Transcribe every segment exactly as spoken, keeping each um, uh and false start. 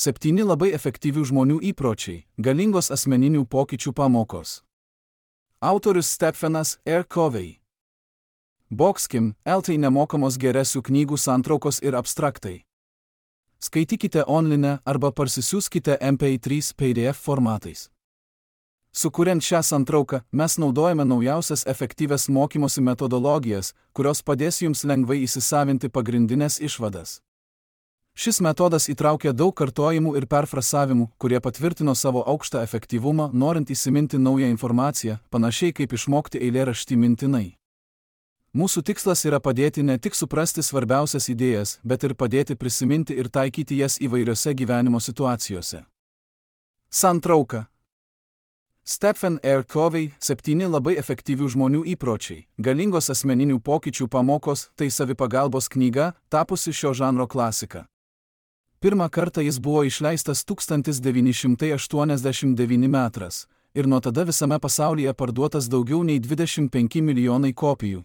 Septyni labai efektyvių žmonių įpročiai, galingos asmeninių pokyčių pamokos. Autorius Stephenas R. Covey. Boxkim, eltai nemokamos geresių knygų santraukos ir abstraktai. Skaitykite online arba parsisiųskite M P trys P D F formatais. Sukuriant šią santrauką, mes naudojame naujausias efektyvias mokymosi metodologijas, kurios padės jums lengvai įsisavinti pagrindinės išvadas. Šis metodas įtraukia daug kartojimų ir perfrasavimų, kurie patvirtino savo aukštą efektyvumą, norint įsiminti naują informaciją, panašiai kaip išmokti eilėraštį mintinai. Mūsų tikslas yra padėti ne tik suprasti svarbiausias idėjas, bet ir padėti prisiminti ir taikyti jas įvairiose gyvenimo situacijose. Santrauka. Stephen R. Covey, septyni labai efektyvių žmonių įpročiai, galingos asmeninių pokyčių pamokos, tai savipagalbos knyga, tapusi šio žanro klasika. Pirmą kartą jis buvo išleistas tūkstantis devyni šimtai aštuoniasdešimt devinti metais ir nuo tada visame pasaulyje parduotas daugiau nei dvidešimt penki milijonai kopijų.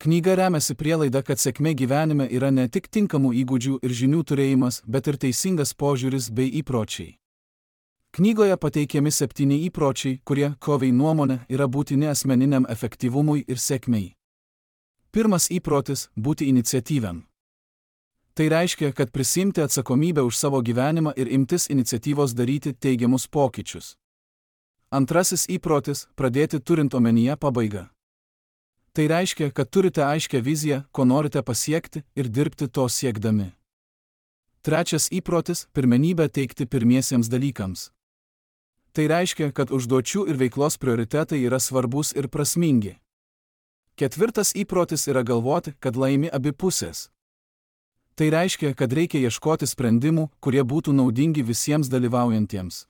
Knyga remiasi prielaida, kad sėkmė gyvenime yra ne tik tinkamų įgūdžių ir žinių turėjimas, bet ir teisingas požiūris bei įpročiai. Knygoje pateikiami septyni įpročiai, kurie, Covey nuomone, yra būtini asmeniniam efektyvumui ir sėkmei. Pirmas įprotis – būti iniciatyviam. Tai reiškia, kad prisiimti atsakomybę už savo gyvenimą ir imtis iniciatyvos daryti teigiamus pokyčius. Antrasis įprotis – pradėti turint omenyje pabaigą. Tai reiškia, kad turite aiškią viziją, ko norite pasiekti ir dirbti to siekdami. Trečias įprotis – pirmenybę teikti pirmiesiems dalykams. Tai reiškia, kad užduočių ir veiklos prioritetai yra svarbus ir prasmingi. Ketvirtas įprotis yra galvoti, kad laimi abi pusės. Tai reiškia, kad reikia ieškoti sprendimų, kurie būtų naudingi visiems dalyvaujantiems.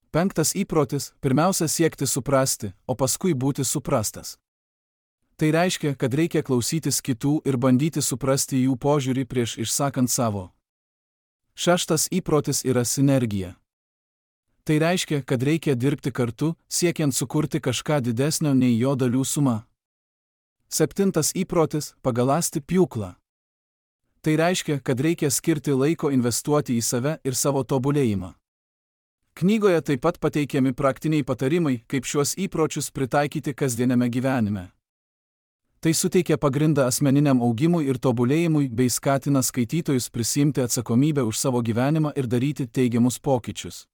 Penktas įprotis – pirmiausia siekti suprasti, o paskui būti suprastas. Tai reiškia, kad reikia klausytis kitų ir bandyti suprasti jų požiūrį prieš išsakant savo. Šeštas įprotis yra sinergija. Tai reiškia, kad reikia dirbti kartu, siekiant sukurti kažką didesnio nei jo dalių suma. Septintas įprotis – pagaląsti pjūklą. Tai reiškia, kad reikia skirti laiko investuoti į save ir savo tobulėjimą. Knygoje taip pat pateikiami praktiniai patarimai, kaip šiuos įpročius pritaikyti kasdieniame gyvenime. Tai suteikia pagrindą asmeniniam augimui ir tobulėjimui bei skatina skaitytojus prisiimti atsakomybę už savo gyvenimą ir daryti teigiamus pokyčius.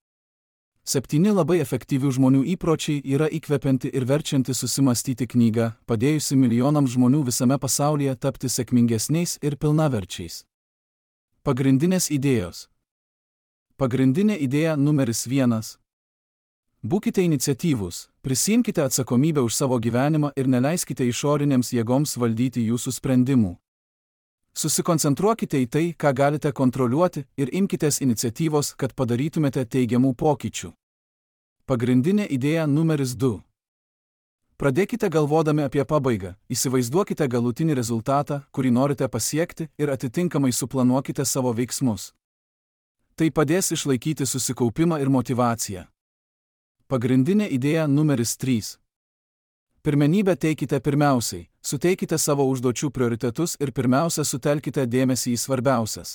Septyni labai efektyvių žmonių įpročiai yra įkvepianti ir verčianti susimastyti knyga, padėjusi milijonams žmonių visame pasaulyje tapti sėkmingesniais ir pilnaverčiais. Pagrindinės idėjos. Pagrindinė idėja numeris vienas. Būkite iniciatyvūs, prisiimkite atsakomybę už savo gyvenimą ir neleiskite išorinėms jėgoms valdyti jūsų sprendimų. Susikoncentruokite į tai, ką galite kontroliuoti ir imkitės iniciatyvos, kad padarytumėte teigiamų pokyčių. Pagrindinė idėja numeris du. Pradėkite galvodami apie pabaigą, įsivaizduokite galutinį rezultatą, kurį norite pasiekti ir atitinkamai suplanuokite savo veiksmus. Tai padės išlaikyti susikaupimą ir motyvaciją. Pagrindinė idėja numeris trys. Pirmenybę teikite pirmiausiai, suteikite savo užduočių prioritetus ir pirmiausia sutelkite dėmesį į svarbiausias.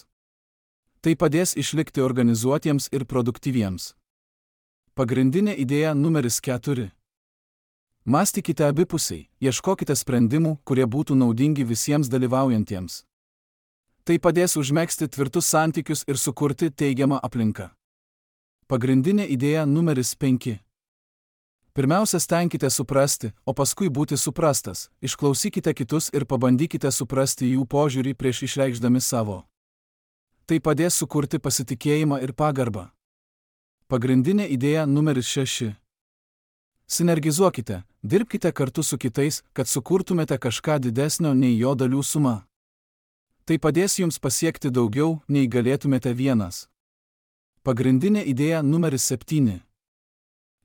Tai padės išlikti organizuotiems ir produktyviems. Pagrindinė idėja numeris keturi. Mąstykite abipusiai, ieškokite sprendimų, kurie būtų naudingi visiems dalyvaujantiems. Tai padės užmegzti tvirtus santykius ir sukurti teigiamą aplinką. Pagrindinė idėja numeris penki. Pirmiausia, stenkite suprasti, o paskui būti suprastas, išklausykite kitus ir pabandykite suprasti jų požiūrį prieš išreikšdami savo. Tai padės sukurti pasitikėjimą ir pagarbą. Pagrindinė idėja numeris šeši. Sinergizuokite, dirbkite kartu su kitais, kad sukurtumėte kažką didesnio nei jo dalių suma. Tai padės jums pasiekti daugiau, nei galėtumėte vienas. Pagrindinė idėja numeris septyni.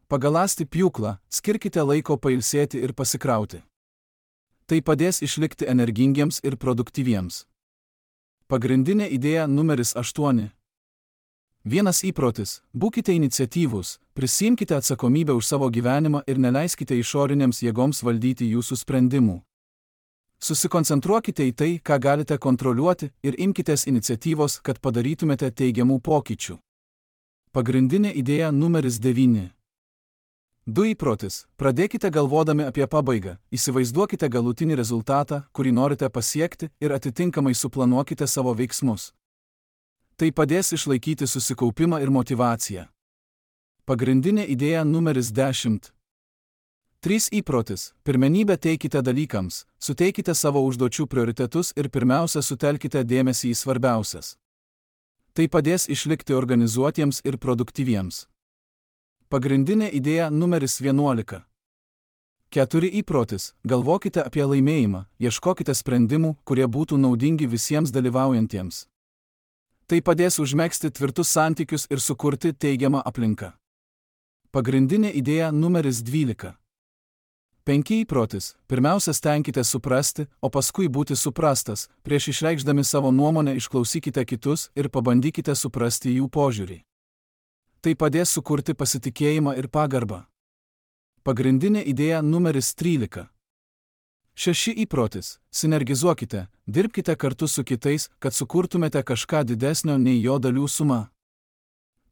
Pagaląsti pjūklą, skirkite laiko pailsėti ir pasikrauti. Tai padės išlikti energingiems ir produktyviems. Pagrindinė idėja numeris aštuoni. Vienas įprotis – būkite iniciatyvūs, prisiimkite atsakomybę už savo gyvenimą ir neleiskite išorinėms jėgoms valdyti jūsų sprendimų. Susikoncentruokite į tai, ką galite kontroliuoti, ir imkitės iniciatyvos, kad padarytumėte teigiamų pokyčių. Pagrindinė idėja numeris devyni. Du įprotis. Pradėkite galvodami apie pabaigą, įsivaizduokite galutinį rezultatą, kurį norite pasiekti, ir atitinkamai suplanuokite savo veiksmus. Tai padės išlaikyti susikaupimą ir motyvaciją. Pagrindinė idėja numeris dešimt. Trys įprotis. Pirmenybę teikite dalykams, suteikite savo užduočių prioritetus ir pirmiausia sutelkite dėmesį į svarbiausias. Tai padės išlikti organizuotiems ir produktyviems. Pagrindinė idėja numeris vienuolika. Keturi įprotis. Galvokite apie laimėjimą, ieškokite sprendimų, kurie būtų naudingi visiems dalyvaujantiems. Tai padės užmegzti tvirtus santykius ir sukurti teigiamą aplinką. Pagrindinė idėja numeris dvylika. Penki įprotis. Pirmiausia, stenkite suprasti, o paskui būti suprastas. Prieš išreikšdami savo nuomonę išklausykite kitus ir pabandykite suprasti jų požiūrį. Tai padės sukurti pasitikėjimą ir pagarbą. Pagrindinė idėja numeris trylika. Šeši įprotis. Sinergizuokite, dirbkite kartu su kitais, kad sukurtumėte kažką didesnio nei jo dalių suma.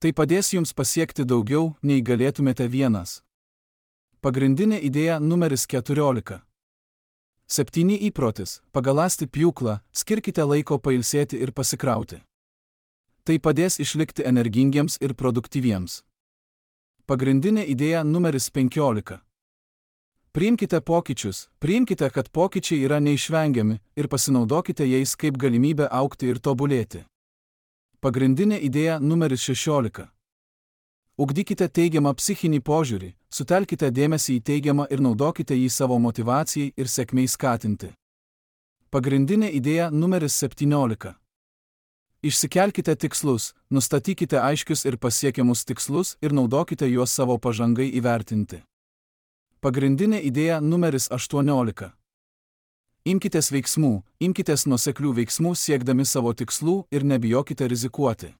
Tai padės jums pasiekti daugiau, nei galėtumėte vienas. Pagrindinė idėja numeris keturiolika. Septyni įprotis. Pagaląsti pjūklą, skirkite laiko pailsėti ir pasikrauti. Tai padės išlikti energingiems ir produktyviems. Pagrindinė idėja numeris penkiolika. Priimkite pokyčius, priimkite, kad pokyčiai yra neišvengiami ir pasinaudokite jais kaip galimybę augti ir tobulėti. Pagrindinė idėja numeris šešiolika. Ugdykite teigiamą psichinį požiūrį, sutelkite dėmesį į teigiamą ir naudokite jį savo motyvacijai ir sėkmei skatinti. Pagrindinė idėja numeris septyniolika. Išsikelkite tikslus, nustatykite aiškius ir pasiekiamus tikslus ir naudokite juos savo pažangai įvertinti. Pagrindinė idėja numeris aštuoniolika. Imkitės veiksmų, imkitės nuoseklių veiksmų siekdami savo tikslų ir nebijokite rizikuoti.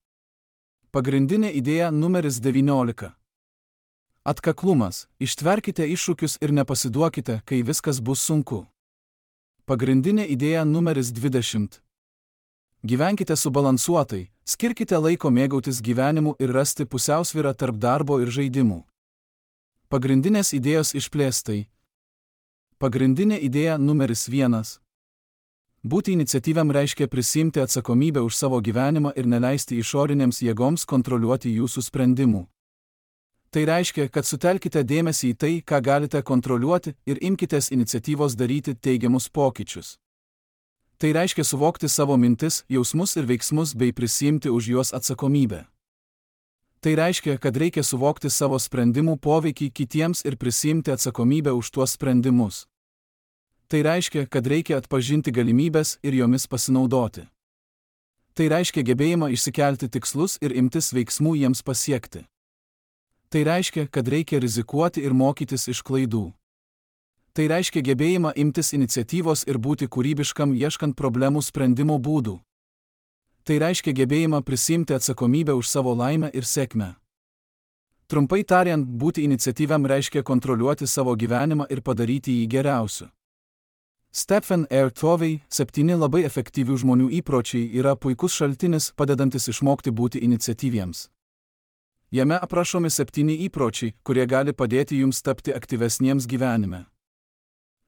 Pagrindinė idėja numeris devyniolika. Atkaklumas. Ištverkite iššūkius ir nepasiduokite, kai viskas bus sunku. Pagrindinė idėja numeris dvidešimt. Gyvenkite subalansuotai, skirkite laiko mėgautis gyvenimu ir rasti pusiausvyrą tarp darbo ir žaidimų. Pagrindinės idėjos išplėstai. Pagrindinė idėja numeris vienas. Būti iniciatyviam reiškia prisimti atsakomybę už savo gyvenimą ir neleisti išorinėms jėgoms kontroliuoti jūsų sprendimų. Tai reiškia, kad sutelkite dėmesį į tai, ką galite kontroliuoti ir imkitės iniciatyvos daryti teigiamus pokyčius. Tai reiškia suvokti savo mintis, jausmus ir veiksmus bei prisimti už juos atsakomybę. Tai reiškia, kad reikia suvokti savo sprendimų poveikį kitiems ir prisimti atsakomybę už tuos sprendimus. Tai reiškia, kad reikia atpažinti galimybės ir jomis pasinaudoti. Tai reiškia gebėjimą išsikelti tikslus ir imtis veiksmų jiems pasiekti. Tai reiškia, kad reikia rizikuoti ir mokytis iš klaidų. Tai reiškia gebėjimą imtis iniciatyvos ir būti kūrybiškam ieškant problemų sprendimo būdų. Tai reiškia gebėjimą prisimti atsakomybę už savo laimę ir sėkmę. Trumpai tariant, būti iniciatyviam reiškia kontroliuoti savo gyvenimą ir padaryti jį geriausiu. Stephen R. Covey, septyni labai efektyvių žmonių įpročiai yra puikus šaltinis, padedantis išmokti būti iniciatyviems. Jame aprašomi septyni įpročiai, kurie gali padėti jums tapti aktyvesniems gyvenime.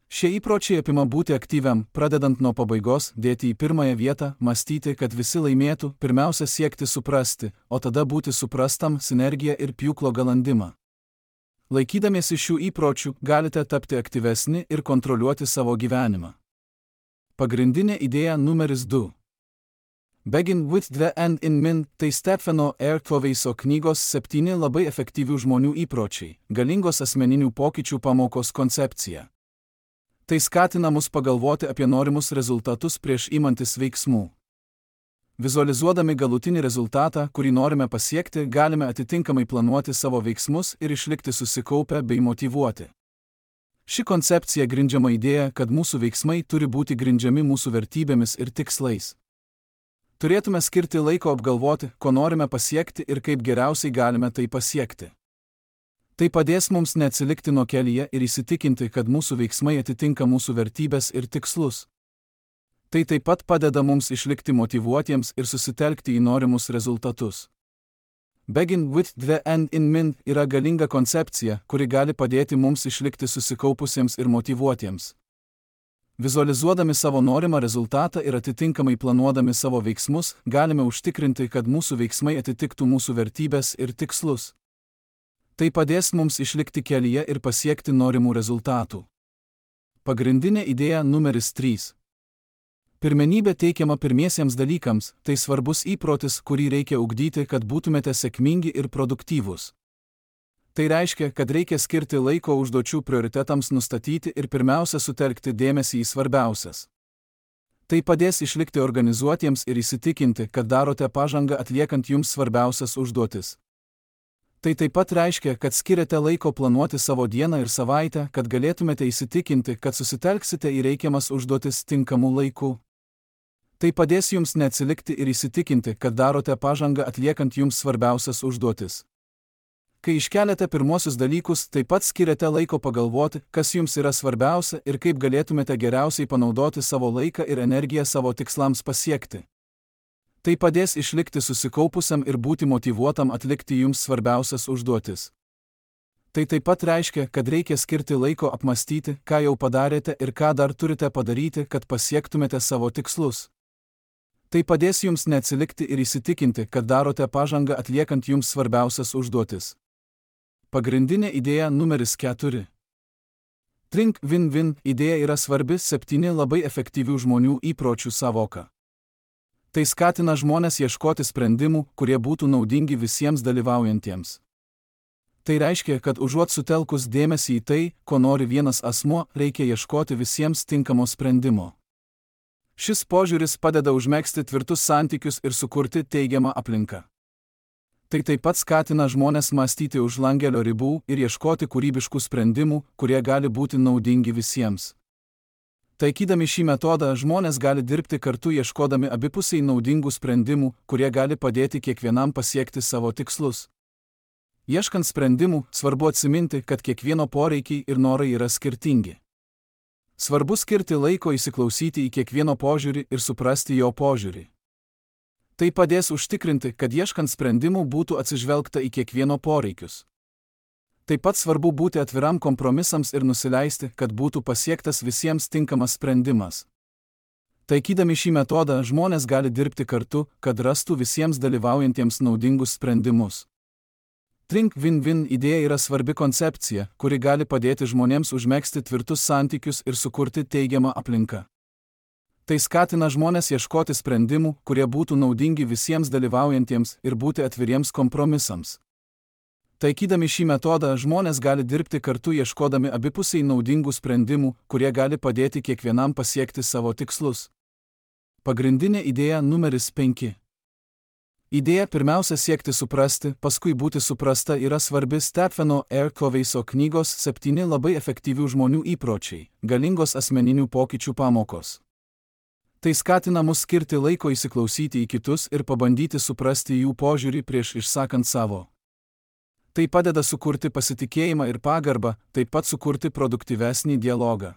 Šie įpročiai apima būti aktyviam, pradedant nuo pabaigos, dėti į pirmąją vietą, mąstyti, kad visi laimėtų, pirmiausia siekti suprasti, o tada būti suprastam, sinergiją ir pjūklo galandimą. Laikydamiesi šių įpročių, galite tapti aktyvesni ir kontroliuoti savo gyvenimą. Pagrindinė idėja numeris du. Begin with the end in mind – tai Stepheno R. Coveyso knygos septyni labai efektyvių žmonių įpročiai, galingos asmeninių pokyčių pamokos koncepcija. Tai skatina mus pagalvoti apie norimus rezultatus prieš imantis veiksmų. Vizualizuodami galutinį rezultatą, kurį norime pasiekti, galime atitinkamai planuoti savo veiksmus ir išlikti susikaupę bei motyvuoti. Ši koncepcija grindžiama idėja, kad mūsų veiksmai turi būti grindžiami mūsų vertybėmis ir tikslais. Turėtume skirti laiko apgalvoti, ko norime pasiekti ir kaip geriausiai galime tai pasiekti. Tai padės mums neatsilikti nuo kelyje ir įsitikinti, kad mūsų veiksmai atitinka mūsų vertybės ir tikslus. Tai taip pat padeda mums išlikti motyvuotiems ir susitelkti į norimus rezultatus. Begin with the end in mind yra galinga koncepcija, kuri gali padėti mums išlikti susikaupusiems ir motyvuotiems. Vizualizuodami savo norimą rezultatą ir atitinkamai planuodami savo veiksmus, galime užtikrinti, kad mūsų veiksmai atitiktų mūsų vertybes ir tikslus. Tai padės mums išlikti kelyje ir pasiekti norimų rezultatų. Pagrindinė idėja numeris trys. Pirmenybė teikiama pirmiesiems dalykams, tai svarbus įprotis, kurį reikia ugdyti, kad būtumėte sėkmingi ir produktyvūs. Tai reiškia, kad reikia skirti laiko užduočių prioritetams nustatyti ir pirmiausia sutelkti dėmesį į svarbiausias. Tai padės išlikti organizuotiems ir įsitikinti, kad darote pažangą atliekant jums svarbiausias užduotis. Tai taip pat reiškia, kad skiriate laiko planuoti savo dieną ir savaitę, kad galėtumėte įsitikinti, kad susitelksite į reikiamas užduotis tinkamu laiku. Tai padės jums neatsilikti ir įsitikinti, kad darote pažangą atliekant jums svarbiausias užduotis. Kai iškeliate pirmosius dalykus, taip pat skiriate laiko pagalvoti, kas jums yra svarbiausia ir kaip galėtumėte geriausiai panaudoti savo laiką ir energiją savo tikslams pasiekti. Tai padės išlikti susikaupusiam ir būti motyvuotam atlikti jums svarbiausias užduotis. Tai taip pat reiškia, kad reikia skirti laiko apmastyti, ką jau padarėte ir ką dar turite padaryti, kad pasiektumėte savo tikslus. Tai padės jums neatsilikti ir įsitikinti, kad darote pažangą atliekant jums svarbiausias užduotis. Pagrindinė idėja numeris keturi. Think win-win idėja yra svarbi septyni labai efektyvių žmonių įpročių sąvoka. Tai skatina žmones ieškoti sprendimų, kurie būtų naudingi visiems dalyvaujantiems. Tai reiškia, kad užuot sutelkus dėmesį į tai, ko nori vienas asmuo, reikia ieškoti visiems tinkamo sprendimo. Šis požiūris padeda užmegzti tvirtus santykius ir sukurti teigiamą aplinką. Tai taip pat skatina žmones mąstyti už langelio ribų ir ieškoti kūrybiškų sprendimų, kurie gali būti naudingi visiems. Taikydami šį metodą, žmonės gali dirbti kartu ieškodami abipusiai naudingų sprendimų, kurie gali padėti kiekvienam pasiekti savo tikslus. Ieškant sprendimų, svarbu atsiminti, kad kiekvieno poreikiai ir norai yra skirtingi. Svarbu skirti laiko įsiklausyti į kiekvieno požiūrį ir suprasti jo požiūrį. Tai padės užtikrinti, kad ieškant sprendimų būtų atsižvelgta į kiekvieno poreikius. Taip pat svarbu būti atviram kompromisams ir nusileisti, kad būtų pasiektas visiems tinkamas sprendimas. Taikydami šį metodą, žmonės gali dirbti kartu, kad rastų visiems dalyvaujantiems naudingus sprendimus. Think win-win idėja yra svarbi koncepcija, kuri gali padėti žmonėms užmegzti tvirtus santykius ir sukurti teigiamą aplinką. Tai skatina žmonės ieškoti sprendimų, kurie būtų naudingi visiems dalyvaujantiems ir būti atviriems kompromisams. Taikydami šį metodą, žmonės gali dirbti kartu ieškodami abipusiai naudingų sprendimų, kurie gali padėti kiekvienam pasiekti savo tikslus. Pagrindinė idėja numeris penki. Idėja pirmiausia siekti suprasti, paskui būti suprasta yra svarbi Stepheno R. Coveyso knygos septyni labai efektyvių žmonių įpročiai, galingos asmeninių pokyčių pamokos. Tai skatina mus skirti laiko įsiklausyti į kitus ir pabandyti suprasti jų požiūrį prieš išsakant savo. Tai padeda sukurti pasitikėjimą ir pagarbą, taip pat sukurti produktyvesnį dialogą.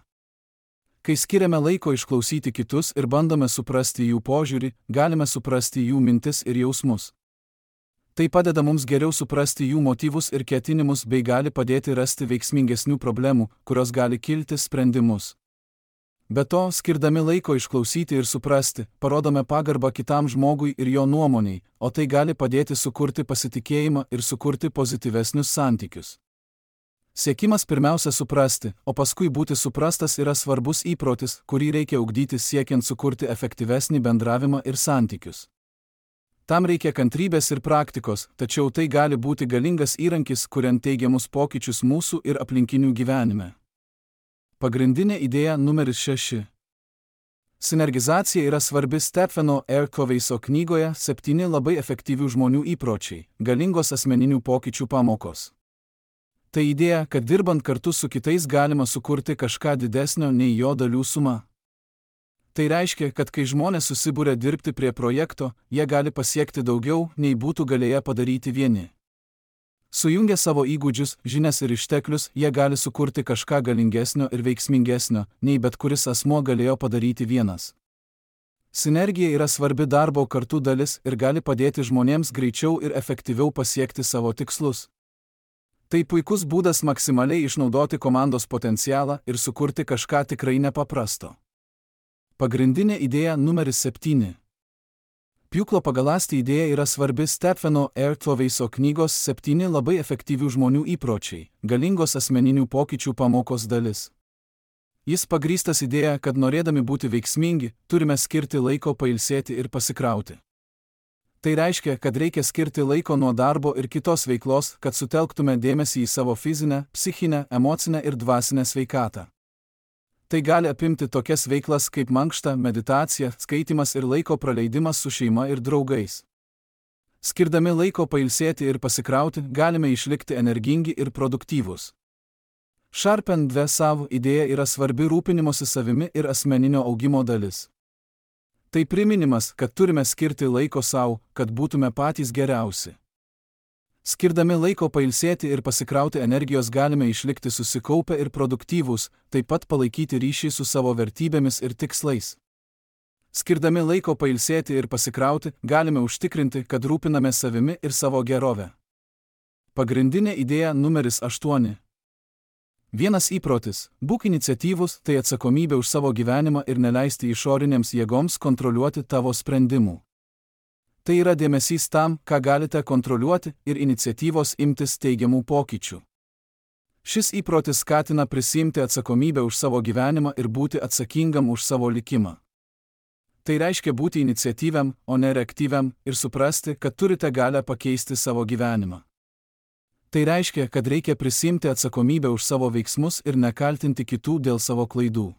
Kai skiriame laiko išklausyti kitus ir bandome suprasti jų požiūrį, galime suprasti jų mintis ir jausmus. Tai padeda mums geriau suprasti jų motyvus ir ketinimus bei gali padėti rasti veiksmingesnių problemų, kurios gali kilti sprendimus. Be to, skirdami laiko išklausyti ir suprasti, parodome pagarbą kitam žmogui ir jo nuomoniai, o tai gali padėti sukurti pasitikėjimą ir sukurti pozityvesnius santykius. Siekimas pirmiausia suprasti, o paskui būti suprastas yra svarbus įprotis, kurį reikia ugdyti siekiant sukurti efektyvesnį bendravimą ir santykius. Tam reikia kantrybės ir praktikos, tačiau tai gali būti galingas įrankis, kuriant teigiamus pokyčius mūsų ir aplinkinių gyvenime. Pagrindinė idėja numeris šeši. Sinergizacija yra svarbi Stepheno R. Coveyso knygoje septyni labai efektyvių žmonių įpročiai, galingos asmeninių pokyčių pamokos. Tai idėja, kad dirbant kartu su kitais galima sukurti kažką didesnio nei jo dalių suma. Tai reiškia, kad kai žmonės susibūrė dirbti prie projekto, jie gali pasiekti daugiau, nei būtų galėję padaryti vieni. Sujungę savo įgūdžius, žinias ir išteklius, jie gali sukurti kažką galingesnio ir veiksmingesnio, nei bet kuris asmuo galėjo padaryti vienas. Sinergija yra svarbi darbo kartu dalis ir gali padėti žmonėms greičiau ir efektyviau pasiekti savo tikslus. Tai puikus būdas maksimaliai išnaudoti komandos potencialą ir sukurti kažką tikrai nepaprasto. Pagrindinė idėja numeris septyni. Pjūklo pagaląsti idėja yra svarbi Stepheno R. Coveyso knygos septyni labai efektyvių žmonių įpročiai, galingos asmeninių pokyčių pamokos dalis. Jis pagrįstas idėja, kad norėdami būti veiksmingi, turime skirti laiko pailsėti ir pasikrauti. Tai reiškia, kad reikia skirti laiko nuo darbo ir kitos veiklos, kad sutelktume dėmesį į savo fizinę, psichinę, emocinę ir dvasinę sveikatą. Tai gali apimti tokias veiklas kaip mankšta, meditacija, skaitymas ir laiko praleidimas su šeima ir draugais. Skirdami laiko pailsėti ir pasikrauti, galime išlikti energingi ir produktyvūs. Sharpen dve savo idėja yra svarbi rūpinimosi savimi ir asmeninio augimo dalis. Tai priminimas, kad turime skirti laiko savo, kad būtume patys geriausi. Skirdami laiko pailsėti ir pasikrauti energijos galime išlikti susikaupę ir produktyvūs, taip pat palaikyti ryšį su savo vertybėmis ir tikslais. Skirdami laiko pailsėti ir pasikrauti, galime užtikrinti, kad rūpiname savimi ir savo gerovę. Pagrindinė idėja numeris aštuoni. Vienas įprotis – būk iniciatyvus, tai atsakomybė už savo gyvenimą ir neleisti išorinėms jėgoms kontroliuoti tavo sprendimų. Tai yra dėmesys tam, ką galite kontroliuoti ir iniciatyvos imtis teigiamų pokyčių. Šis įprotis skatina prisiimti atsakomybę už savo gyvenimą ir būti atsakingam už savo likimą. Tai reiškia būti iniciatyviam, o ne reaktyviam ir suprasti, kad turite galią pakeisti savo gyvenimą. Tai reiškia, kad reikia prisiimti atsakomybę už savo veiksmus ir nekaltinti kitų dėl savo klaidų.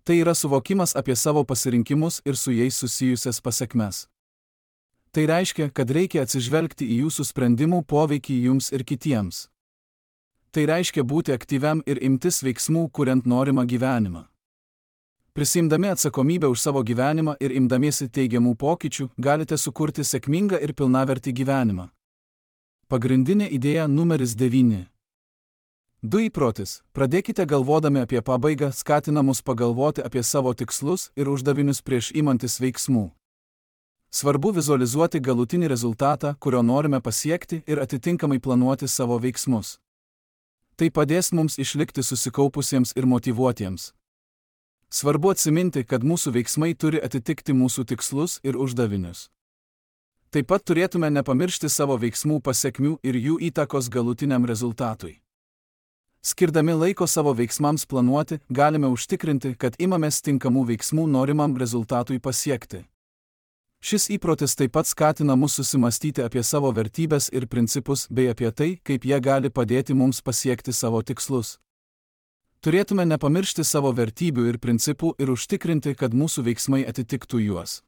Tai yra suvokimas apie savo pasirinkimus ir su jais susijusias pasekmes. Tai reiškia, kad reikia atsižvelgti į jūsų sprendimų poveikį jums ir kitiems. Tai reiškia būti aktyviam ir imtis veiksmų, kuriant norimą gyvenimą. Prisimdami atsakomybę už savo gyvenimą ir imdamiesi teigiamų pokyčių, galite sukurti sėkmingą ir pilnavertį gyvenimą. Pagrindinė idėja numeris devyni. Du įprotis. Pradėkite galvodami apie pabaigą, skatina mus pagalvoti apie savo tikslus ir uždavinius prieš imantis veiksmų. Svarbu vizualizuoti galutinį rezultatą, kurio norime pasiekti ir atitinkamai planuoti savo veiksmus. Tai padės mums išlikti susikaupusiems ir motyvuotiems. Svarbu atsiminti, kad mūsų veiksmai turi atitikti mūsų tikslus ir uždavinius. Taip pat turėtume nepamiršti savo veiksmų pasekmių ir jų įtakos galutiniam rezultatui. Skirdami laiko savo veiksmams planuoti, galime užtikrinti, kad imamės tinkamų veiksmų norimam rezultatui pasiekti. Šis įprotis taip pat skatina mus susimastyti apie savo vertybes ir principus bei apie tai, kaip jie gali padėti mums pasiekti savo tikslus. Turėtume nepamiršti savo vertybių ir principų ir užtikrinti, kad mūsų veiksmai atitiktų juos.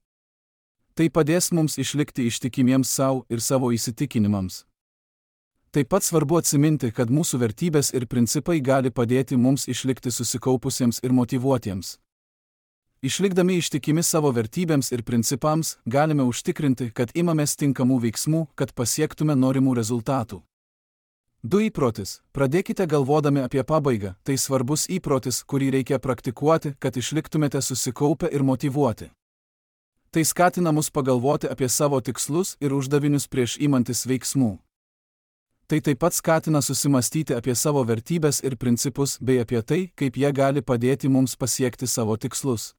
Tai padės mums išlikti ištikimiems savo ir savo įsitikinimams. Taip pat svarbu atsiminti, kad mūsų vertybės ir principai gali padėti mums išlikti susikaupusiems ir motyvuotiems. Išlikdami ištikimi savo vertybėms ir principams, galime užtikrinti, kad imamės tinkamų veiksmų, kad pasiektume norimų rezultatų. Du įprotis. Pradėkite galvodami apie pabaigą, tai svarbus įprotis, kurį reikia praktikuoti, kad išliktumėte susikaupę ir motyvuoti. Tai skatina mus pagalvoti apie savo tikslus ir uždavinius prieš imantis veiksmų. Tai taip pat skatina susimastyti apie savo vertybės ir principus bei apie tai, kaip jie gali padėti mums pasiekti savo tikslus.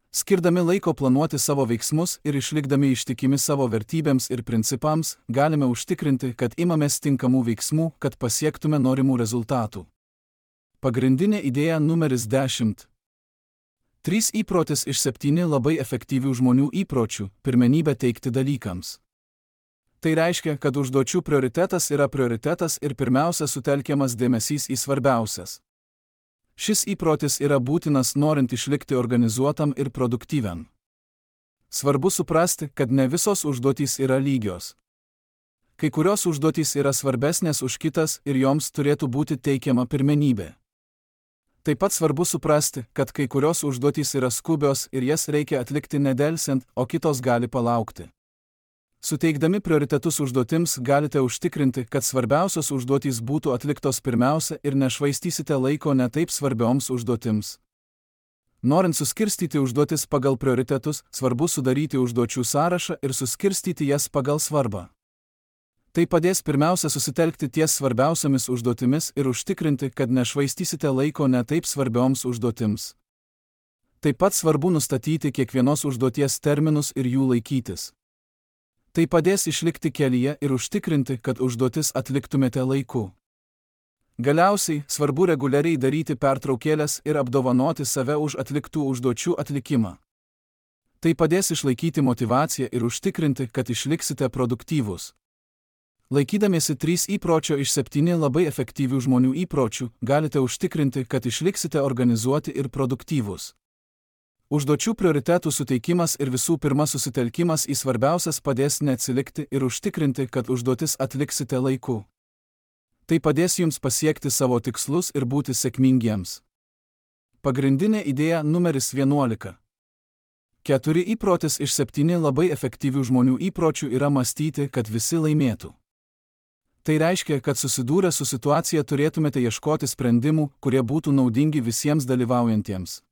Skirdami laiko planuoti savo veiksmus ir išlikdami ištikimi savo vertybėms ir principams, galime užtikrinti, kad imamės tinkamų veiksmų, kad pasiektume norimų rezultatų. Pagrindinė idėja numeris dešimt. Trys įprotis iš septyni labai efektyvių žmonių įpročių – pirmenybę teikti dalykams. Tai reiškia, kad užduočių prioritetas yra prioritetas ir pirmiausia sutelkiamas dėmesys į svarbiausias. Šis įprotis yra būtinas norint išlikti organizuotam ir produktyviam. Svarbu suprasti, kad ne visos užduotys yra lygios. Kai kurios užduotys yra svarbesnės už kitas ir joms turėtų būti teikiama pirmenybė. Taip pat svarbu suprasti, kad kai kurios užduotys yra skubios ir jas reikia atlikti nedelsiant, o kitos gali palaukti. Suteikdami prioritetus užduotims galite užtikrinti, kad svarbiausios užduotys būtų atliktos pirmiausia ir nešvaistysite laiko ne taip svarbioms užduotims. Norint suskirstyti užduotis pagal prioritetus, svarbu sudaryti užduočių sąrašą ir suskirstyti jas pagal svarbą. Tai padės pirmiausia susitelkti ties svarbiausiamis užduotimis ir užtikrinti, kad nešvaistysite laiko ne taip svarbioms užduotims. Taip pat svarbu nustatyti kiekvienos užduoties terminus ir jų laikytis. Tai padės išlikti kelyje ir užtikrinti, kad užduotis atliktumėte laiku. Galiausiai, svarbu reguliariai daryti pertraukėlės ir apdovanoti save už atliktų užduočių atlikimą. Tai padės išlaikyti motyvaciją ir užtikrinti, kad išliksite produktyvūs. Laikydamiesi trys įpročio iš septynių labai efektyvių žmonių įpročių, galite užtikrinti, kad išliksite organizuoti ir produktyvūs. Užduočių prioritetų suteikimas ir visų pirma susitelkimas į svarbiausias padės neatsilikti ir užtikrinti, kad užduotis atliksite laiku. Tai padės jums pasiekti savo tikslus ir būti sėkmingiems. Pagrindinė idėja numeris vienuolika. Keturi įprotis iš septynių labai efektyvių žmonių įpročių yra mąstyti, kad visi laimėtų. Tai reiškia, kad susidūrę su situacija turėtumėte ieškoti sprendimų, kurie būtų naudingi visiems dalyvaujantiems.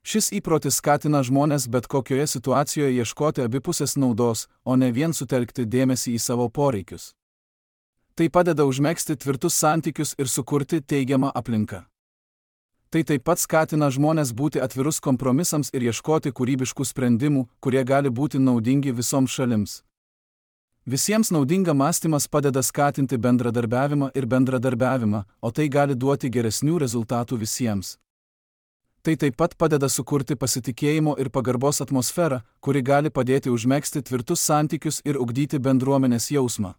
Šis įprotis skatina žmones bet kokioje situacijoje ieškoti abipusės naudos, o ne vien sutelkti dėmesį į savo poreikius. Tai padeda užmegzti tvirtus santykius ir sukurti teigiamą aplinką. Tai taip pat skatina žmones būti atvirus kompromisams ir ieškoti kūrybiškų sprendimų, kurie gali būti naudingi visoms šalims. Visiems naudinga mąstymas padeda skatinti bendradarbiavimą ir bendradarbiavimą, o tai gali duoti geresnių rezultatų visiems. Tai taip pat padeda sukurti pasitikėjimo ir pagarbos atmosferą, kuri gali padėti užmegzti tvirtus santykius ir ugdyti bendruomenės jausmą.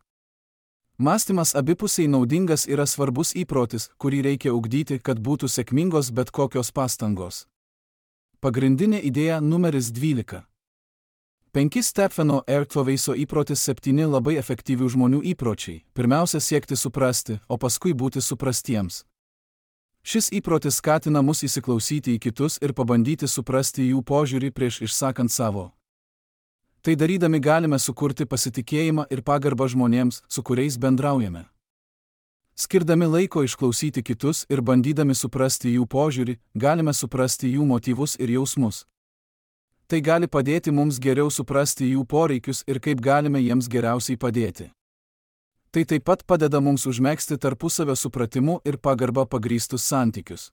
Mąstymas abipusiai naudingas yra svarbus įprotis, kurį reikia ugdyti, kad būtų sėkmingos bet kokios pastangos. Pagrindinė idėja numeris dvylika. Penki Stepheno R. Coveyso įprotis septyni labai efektyvių žmonių įpročiai. Pirmiausia siekti suprasti, o paskui būti suprastiems. Šis įprotis skatina mus įsiklausyti į kitus ir pabandyti suprasti jų požiūrį prieš išsakant savo. Tai darydami galime sukurti pasitikėjimą ir pagarbą žmonėms, su kuriais bendraujame. Skirdami laiko išklausyti kitus ir bandydami suprasti jų požiūrį, galime suprasti jų motyvus ir jausmus. Tai gali padėti mums geriau suprasti jų poreikius ir kaip galime jiems geriausiai padėti. Tai taip pat padeda mums užmegzti tarpusavio supratimu ir pagarba pagrįstus santykius.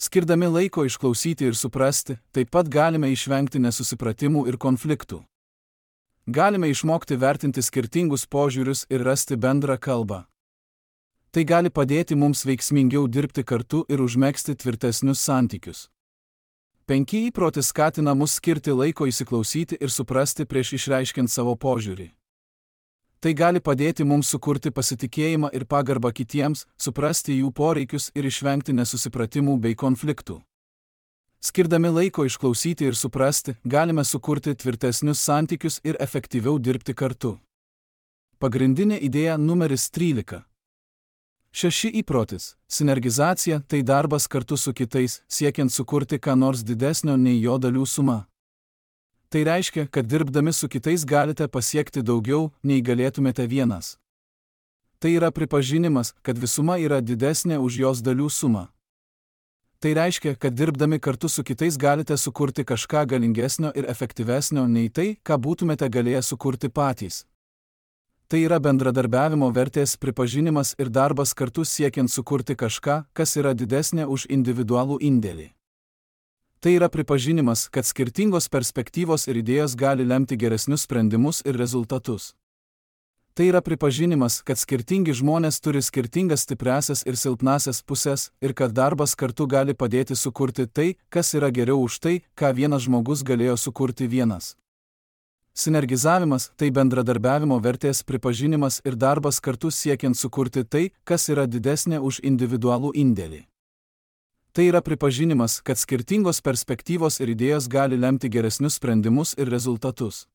Skirdami laiko išklausyti ir suprasti, taip pat galime išvengti nesusipratimų ir konfliktų. Galime išmokti vertinti skirtingus požiūrius ir rasti bendrą kalbą. Tai gali padėti mums veiksmingiau dirbti kartu ir užmegzti tvirtesnius santykius. Penki įprotis skatina mus skirti laiko įsiklausyti ir suprasti prieš išreiškiant savo požiūrį. Tai gali padėti mums sukurti pasitikėjimą ir pagarbą kitiems, suprasti jų poreikius ir išvengti nesusipratimų bei konfliktų. Skirdami laiko išklausyti ir suprasti, galime sukurti tvirtesnius santykius ir efektyviau dirbti kartu. Pagrindinė idėja numeris trylika. Šeši įprotis. Sinergizacija – tai darbas kartu su kitais, siekiant sukurti ką nors didesnio nei jo dalių suma. Tai reiškia, kad dirbdami su kitais galite pasiekti daugiau, nei galėtumėte vienas. Tai yra pripažinimas, kad visuma yra didesnė už jos dalių sumą. Tai reiškia, kad dirbdami kartu su kitais galite sukurti kažką galingesnio ir efektyvesnio nei tai, ką būtumėte galėję sukurti patys. Tai yra bendradarbiavimo vertės pripažinimas ir darbas kartu siekiant sukurti kažką, kas yra didesnė už individualų indėlį. Tai yra pripažinimas, kad skirtingos perspektyvos ir idėjos gali lemti geresnius sprendimus ir rezultatus. Tai yra pripažinimas, kad skirtingi žmonės turi skirtingas stipriąsias ir silpnąsias pusės ir kad darbas kartu gali padėti sukurti tai, kas yra geriau už tai, ką vienas žmogus galėjo sukurti vienas. Sinergizavimas – tai bendradarbiavimo vertės pripažinimas ir darbas kartu siekiant sukurti tai, kas yra didesnė už individualų indėlį. Tai yra pripažinimas, kad skirtingos perspektyvos ir idėjos gali lemti geresnius sprendimus ir rezultatus.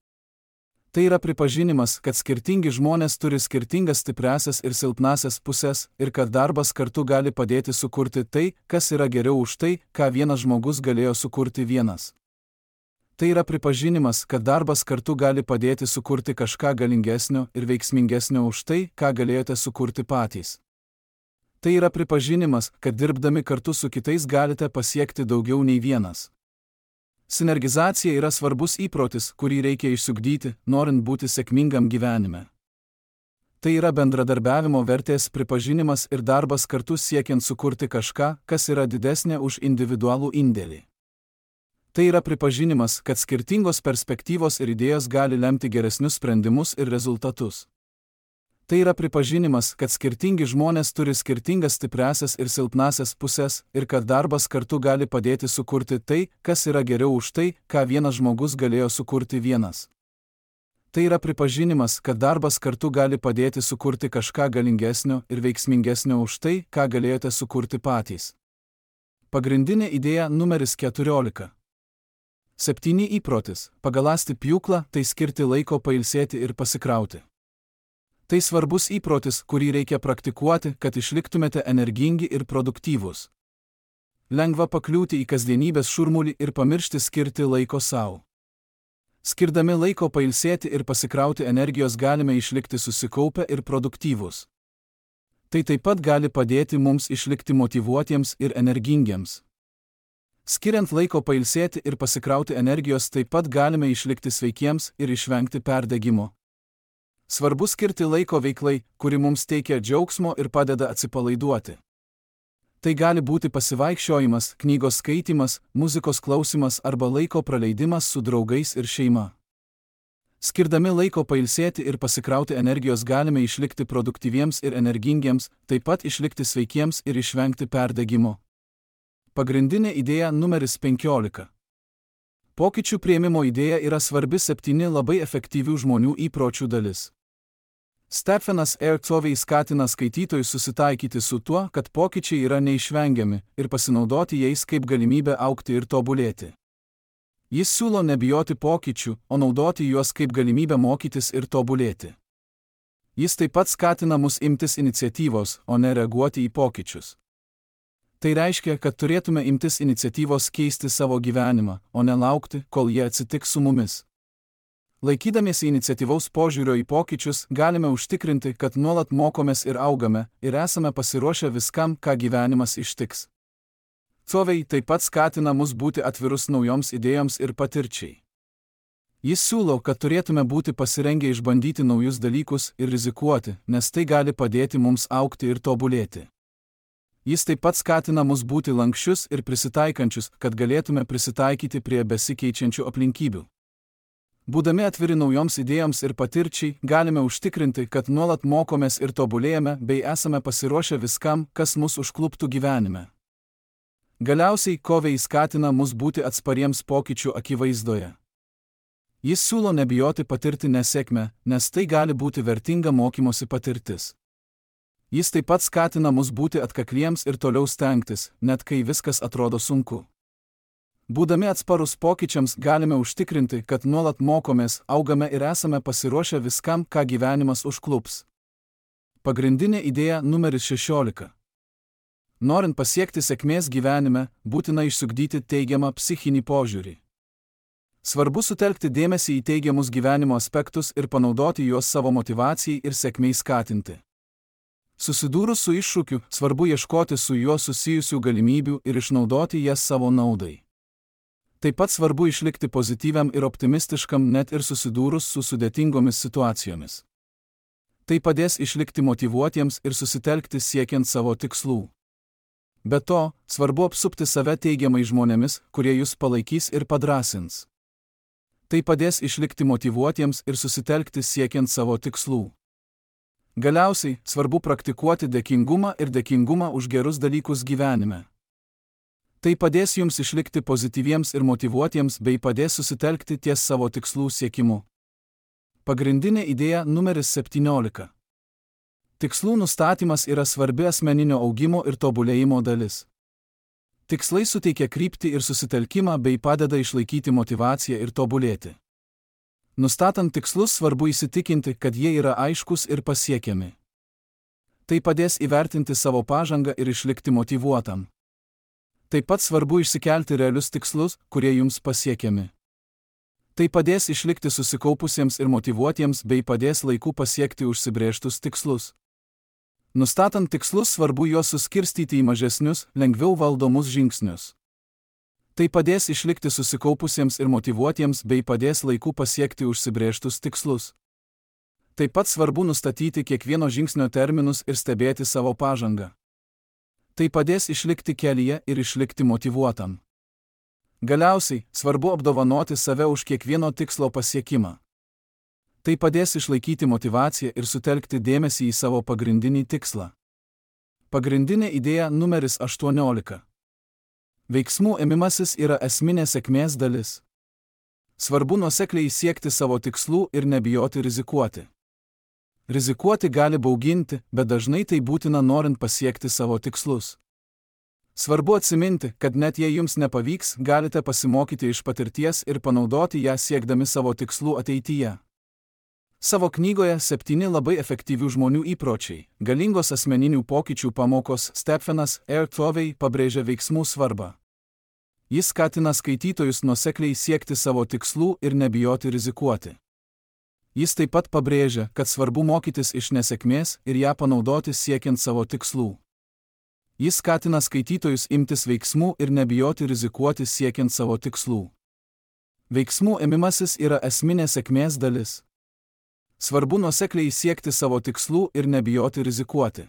Tai yra pripažinimas, kad skirtingi žmonės turi skirtingas stipriąsias ir silpnąsias pusės ir kad darbas kartu gali padėti sukurti tai, kas yra geriau už tai, ką vienas žmogus galėjo sukurti vienas. Tai yra pripažinimas, kad darbas kartu gali padėti sukurti kažką galingesnio ir veiksmingesnio už tai, ką galėjote sukurti patys. Tai yra pripažinimas, kad dirbdami kartu su kitais galite pasiekti daugiau nei vienas. Sinergizacija yra svarbus įprotis, kurį reikia išsiugdyti, norint būti sėkmingam gyvenime. Tai yra bendradarbiavimo vertės pripažinimas ir darbas kartu siekiant sukurti kažką, kas yra didesnė už individualų indėlį. Tai yra pripažinimas, kad skirtingos perspektyvos ir idėjos gali lemti geresnius sprendimus ir rezultatus. Tai yra pripažinimas, kad skirtingi žmonės turi skirtingas stipriasias ir silpnasias pusės ir kad darbas kartu gali padėti sukurti tai, kas yra geriau už tai, ką vienas žmogus galėjo sukurti vienas. Tai yra pripažinimas, kad darbas kartu gali padėti sukurti kažką galingesnio ir veiksmingesnio už tai, ką galėjote sukurti patys. Pagrindinė idėja numeris keturiolika. Septyni įprotis. Pagaląsti pjūklą, tai skirti laiko pailsėti ir pasikrauti. Tai svarbus įprotis, kurį reikia praktikuoti, kad išliktumėte energingi ir produktyvūs. Lengva pakliūti į kasdienybės šurmulį ir pamiršti skirti laiko savo. Skirdami laiko pailsėti ir pasikrauti energijos galime išlikti susikaupę ir produktyvūs. Tai taip pat gali padėti mums išlikti motyvuotiems ir energingiems. Skiriant laiko pailsėti ir pasikrauti energijos taip pat galime išlikti sveikiems ir išvengti perdegimo. Svarbu skirti laiko veiklai, kuri mums teikia džiaugsmo ir padeda atsipalaiduoti. Tai gali būti pasivaikščiojimas, knygos skaitymas, muzikos klausimas arba laiko praleidimas su draugais ir šeima. Skirdami laiko pailsėti ir pasikrauti energijos galime išlikti produktyviems ir energingiems, taip pat išlikti sveikiems ir išvengti perdegimo. Pagrindinė idėja numeris penkiolika. Pokyčių priėmimo idėja yra svarbi septyni labai efektyvių žmonių įpročių dalis. Stephenas R. Covey skatina skaitytojus susitaikyti su tuo, kad pokyčiai yra neišvengiami ir pasinaudoti jais kaip galimybę augti ir tobulėti. Jis siūlo nebijoti pokyčių, o naudoti juos kaip galimybę mokytis ir tobulėti. Jis taip pat skatina mus imtis iniciatyvos, o ne reaguoti į pokyčius. Tai reiškia, kad turėtume imtis iniciatyvos keisti savo gyvenimą, o ne laukti, kol jie atsitiks su mumis. Laikydamiesi iniciatyvaus požiūrio į pokyčius, galime užtikrinti, kad nuolat mokomės ir augame, ir esame pasiruošę viskam, ką gyvenimas ištiks. Covey taip pat skatina mus būti atvirus naujoms idėjoms ir patirčiai. Jis siūlo, kad turėtume būti pasirengę išbandyti naujus dalykus ir rizikuoti, nes tai gali padėti mums augti ir tobulėti. Jis taip pat skatina mus būti lankščius ir prisitaikančius, kad galėtume prisitaikyti prie besikeičiančių aplinkybių. Būdami atviri naujoms idėjoms ir patirčiai, galime užtikrinti, kad nuolat mokomės ir tobulėjame bei esame pasiruošę viskam, kas mus užkluptų gyvenime. Galiausiai Covey skatina mus būti atspariems pokyčių akivaizdoje. Jis siūlo nebijoti patirti nesėkmę, nes tai gali būti vertinga mokymosi patirtis. Jis taip pat skatina mus būti atkakliems ir toliau stengtis, net kai viskas atrodo sunku. Būdami atsparus pokyčiams galime užtikrinti, kad nuolat mokomės, augame ir esame pasiruošę viskam, ką gyvenimas užklups. Pagrindinė idėja numeris šešiolika. Norint pasiekti sėkmės gyvenime, būtina išsiugdyti teigiamą psichinį požiūrį. Svarbu sutelkti dėmesį į teigiamus gyvenimo aspektus ir panaudoti juos savo motyvacijai ir sėkmei skatinti. Susidūrus su iššūkiu, svarbu ieškoti su juo susijusių galimybių ir išnaudoti jas savo naudai. Taip pat svarbu išlikti pozityviam ir optimistiškam net ir susidūrus su sudėtingomis situacijomis. Tai padės išlikti motyvuotiems ir susitelkti siekiant savo tikslų. Be to, svarbu apsupti save teigiamai žmonėmis, kurie jūs palaikys ir padrąsins. Tai padės išlikti motyvuotiems ir susitelkti siekiant savo tikslų. Galiausiai, svarbu praktikuoti dėkingumą ir dėkingumą už gerus dalykus gyvenime. Tai padės jums išlikti pozityviems ir motyvuotiems bei padės susitelkti ties savo tikslų siekimu. Pagrindinė idėja numeris septyniolika. Tikslų nustatymas yra svarbi asmeninio augimo ir tobulėjimo dalis. Tikslai suteikia kryptį ir susitelkimą bei padeda išlaikyti motyvaciją ir tobulėti. Nustatant tikslus svarbu įsitikinti, kad jie yra aiškus ir pasiekiami. Tai padės įvertinti savo pažangą ir išlikti motyvuotam. Taip pat svarbu išsikelti realius tikslus, kurie jums pasiekiami. Tai padės išlikti susikaupusiems ir motyvuotiems bei padės laiku pasiekti užsibrėžtus tikslus. Nustatant tikslus svarbu juos suskirstyti į mažesnius, lengviau valdomus žingsnius. Tai padės išlikti susikaupusiems ir motyvuotiems bei padės laiku pasiekti užsibrėžtus tikslus. Taip pat svarbu nustatyti kiekvieno žingsnio terminus ir stebėti savo pažangą. Tai padės išlikti kelyje ir išlikti motyvuotam. Galiausiai, svarbu apdovanoti save už kiekvieno tikslo pasiekimą. Tai padės išlaikyti motyvaciją ir sutelkti dėmesį į savo pagrindinį tikslą. Pagrindinė idėja numeris aštuoniolika. Veiksmų ėmimasis yra esminė sėkmės dalis. Svarbu nuosekliai siekti savo tikslų ir nebijoti rizikuoti. Rizikuoti gali bauginti, bet dažnai tai būtina norint pasiekti savo tikslus. Svarbu atsiminti, kad net jei jums nepavyks, galite pasimokyti iš patirties ir panaudoti ją siekdami savo tikslų ateityje. Savo knygoje septyni labai efektyvių žmonių įpročiai, galingos asmeninių pokyčių pamokos Stephenas R. Covey pabrėžia veiksmų svarbą. Jis skatina skaitytojus nuosekliai siekti savo tikslų ir nebijoti rizikuoti. Jis taip pat pabrėžia, kad svarbu mokytis iš nesėkmės ir ją panaudoti siekiant savo tikslų. Jis skatina skaitytojus imtis veiksmų ir nebijoti rizikuoti siekiant savo tikslų. Veiksmų ėmimasis yra esminė sėkmės dalis. Svarbu nuosekliai siekti savo tikslų ir nebijoti rizikuoti.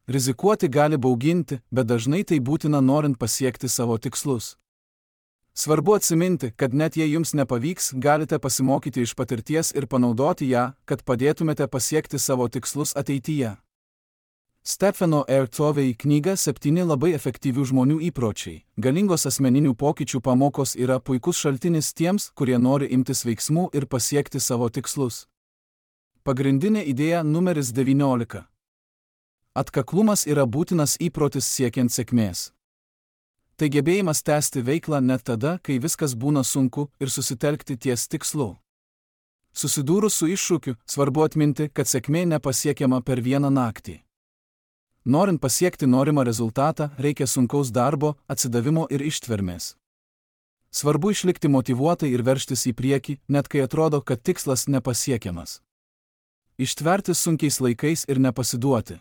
Rizikuoti gali bauginti, bet dažnai tai būtina norint pasiekti savo tikslus. Svarbu atsiminti, kad net jei jums nepavyks, galite pasimokyti iš patirties ir panaudoti ją, kad padėtumėte pasiekti savo tikslus ateityje. Stepheno R. Covey knyga septyni labai efektyvių žmonių įpročiai, galingos asmeninių pokyčių pamokos yra puikus šaltinis tiems, kurie nori imtis veiksmų ir pasiekti savo tikslus. Pagrindinė idėja numeris devyniolika. Atkaklumas yra būtinas įprotis siekiant sėkmės. Tai gebėjimas tęsti veiklą net tada, kai viskas būna sunku ir susitelkti ties tikslu. Susidūrus su iššūkiu, svarbu atminti, kad sėkmė nepasiekiama per vieną naktį. Norint pasiekti norimą rezultatą, reikia sunkaus darbo, atsidavimo ir ištvermės. Svarbu išlikti motyvuotai ir veržtis į priekį, net kai atrodo, kad tikslas nepasiekiamas. Ištverti sunkiais laikais ir nepasiduoti.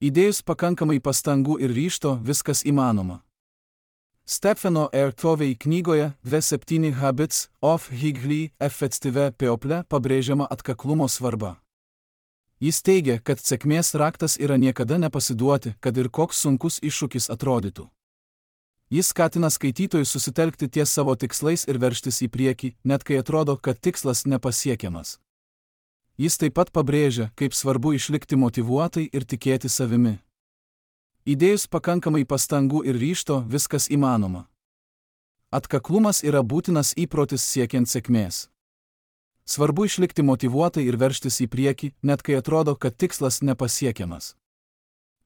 Įdėjus pakankamai pastangų ir ryžto, viskas įmanoma. Stepheno R. Covey knygoje The Seven Habits of Highly Effective People pabrėžiama atkaklumo svarba. Jis teigia, kad sėkmės raktas yra niekada nepasiduoti, kad ir koks sunkus iššūkis atrodytų. Jis skatina skaitytojus susitelkti ties savo tikslais ir veržtis į priekį, net kai atrodo, kad tikslas nepasiekiamas. Jis taip pat pabrėžia, kaip svarbu išlikti motyvuotai ir tikėti savimi. Įdėjus pakankamai pastangų ir ryžto, viskas įmanoma. Atkaklumas yra būtinas įprotis siekiant sėkmės. Svarbu išlikti motyvuotai ir veržtis į priekį, net kai atrodo, kad tikslas nepasiekiamas.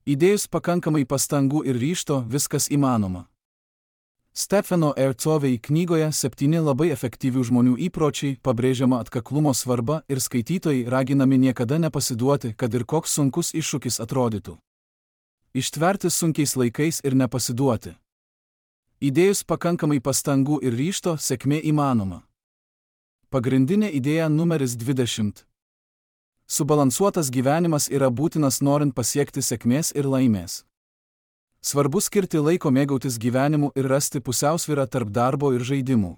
Įdėjus pakankamai pastangų ir ryžto, viskas įmanoma. Stepheno R. Covey knygoje septyni labai efektyvių žmonių įpročiai pabrėžiama atkaklumo svarba ir skaitytojai raginami niekada nepasiduoti, kad ir koks sunkus iššūkis atrodytų. Ištverti sunkiais laikais ir nepasiduoti. Įdėjus pakankamai pastangų ir ryžto, sėkmė įmanoma. Pagrindinė idėja numeris dvidešimt. Subalansuotas gyvenimas yra būtinas norint pasiekti sėkmės ir laimės. Svarbu skirti laiko mėgautis gyvenimu ir rasti pusiausvyrą tarp darbo ir žaidimų.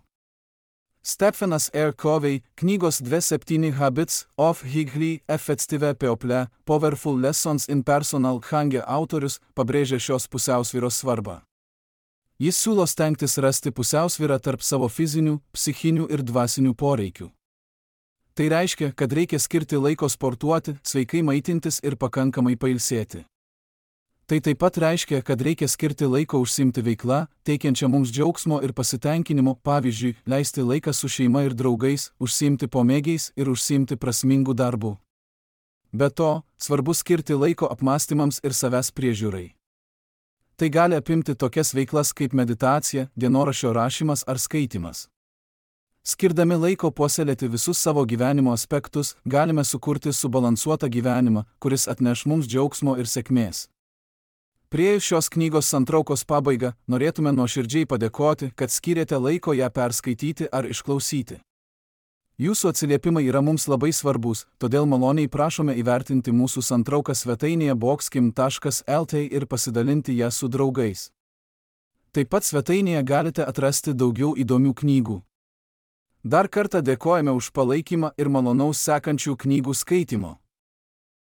Stephenas R. Covey knygos The Seven Habits of Highly Effective People Powerful Lessons in Personal Growth autorius pabrėžia šios pusiausvyros svarbą. Jis siūlo stengtis rasti pusiausvyrą tarp savo fizinių, psichinių ir dvasinių poreikių. Tai reiškia, kad reikia skirti laiko sportuoti, sveikai maitintis ir pakankamai pailsėti. Tai taip pat reiškia, kad reikia skirti laiko užsiimti veiklą, teikiančią mums džiaugsmo ir pasitenkinimo, pavyzdžiui, leisti laiką su šeima ir draugais, užsiimti pomėgiais ir užsiimti prasmingų darbų. Be to, svarbu skirti laiko apmąstymams ir savęs priežiūrai. Tai gali apimti tokias veiklas kaip meditacija, dienoraščio rašymas ar skaitymas. Skirdami laiko puoselėti visus savo gyvenimo aspektus, galime sukurti subalansuotą gyvenimą, kuris atneš mums džiaugsmo ir sėkmės. Priėjus šios knygos santraukos pabaigą, norėtume nuoširdžiai padėkoti, kad skyrėte laiko ją perskaityti ar išklausyti. Jūsų atsiliepimai yra mums labai svarbus, todėl maloniai prašome įvertinti mūsų santrauką svetainėje boxkim taškas lt ir pasidalinti ją su draugais. Taip pat svetainėje galite atrasti daugiau įdomių knygų. Dar kartą dėkojame už palaikymą ir malonaus sekančių knygų skaitymo.